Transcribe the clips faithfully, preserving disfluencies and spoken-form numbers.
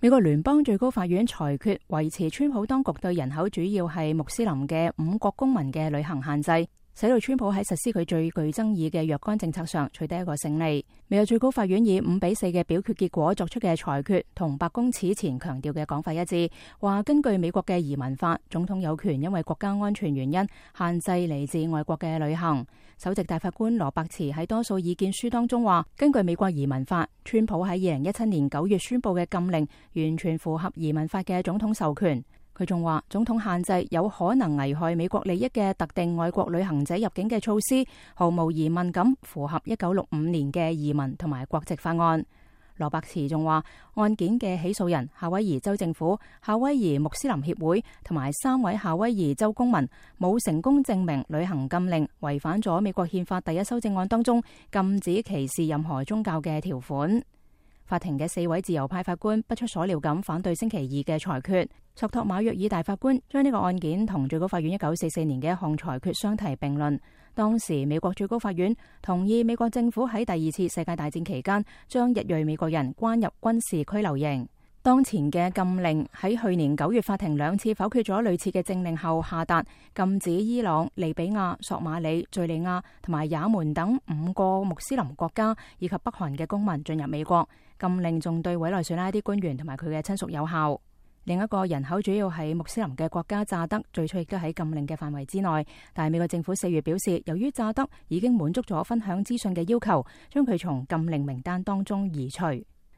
美國聯邦最高法院裁決維持川普當局對人口主要係穆斯林嘅五國公民嘅旅行限制，使到川普喺實施佢最具爭議嘅若干政策上取得一個勝利。美國最高法院以五比四嘅表決結果作出嘅裁決，同白宮此前強調嘅講法一致，話根據美國嘅移民法，總統有權因為國家安全原因限制嚟自外國嘅旅行。首席大法官羅伯茨喺多數意見書當中話，根據美國移民法，川普喺二零一七年九月宣布嘅禁令完全符合移民法嘅總統授權。佢仲話，總統限制有可能危害美國利益嘅特定外國旅行者入境嘅措施，毫無疑問咁符合一九六五年嘅移民同埋國籍法案。羅伯茨仲話，案件嘅起訴人夏威夷州政府、夏威夷穆斯林協會同埋三位夏威夷州公民冇成功證明旅行禁令違反咗美國憲法第一修正案當中禁止歧視任何宗教嘅條款。法庭嘅四位自由派法官不出所料咁反對星期二嘅裁決。索托馬約爾大法官將呢個案件同最高法院一九四四年嘅一項裁決相提並論。當時美國最高法院同意美國政府喺第二次世界大戰期間將日裔美國人關入軍事拘留營。當前嘅禁令喺去年九月法庭兩次否決咗類似嘅政令後下達，禁止伊朗、利比亞、索馬里、敘利亞同埋也門等五個穆斯林國家以及北韓嘅公民進入美國。禁令仲對委內瑞拉啲官員同埋佢嘅親屬有效。另一個人口主要係穆斯林嘅國家乍得，最初亦都喺禁令嘅範圍之內，但係美國政府四月表示，由於乍得已經滿足咗分享資訊嘅要求，將佢從禁令名單當中移除。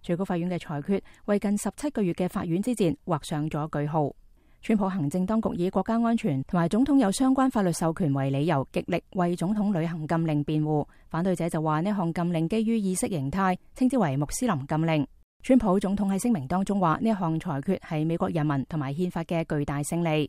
最高法院嘅裁決為近十七個月嘅法院之戰畫上咗句號。川普行政當局以國家安全同埋總統有相關法律授權為理由，極力為總統旅行禁令辯護。反對者就話呢項禁令基於意識形態，稱之為穆斯林禁令。川普總統喺聲明當中話，呢一項裁決係美國人民同埋憲法嘅巨大勝利。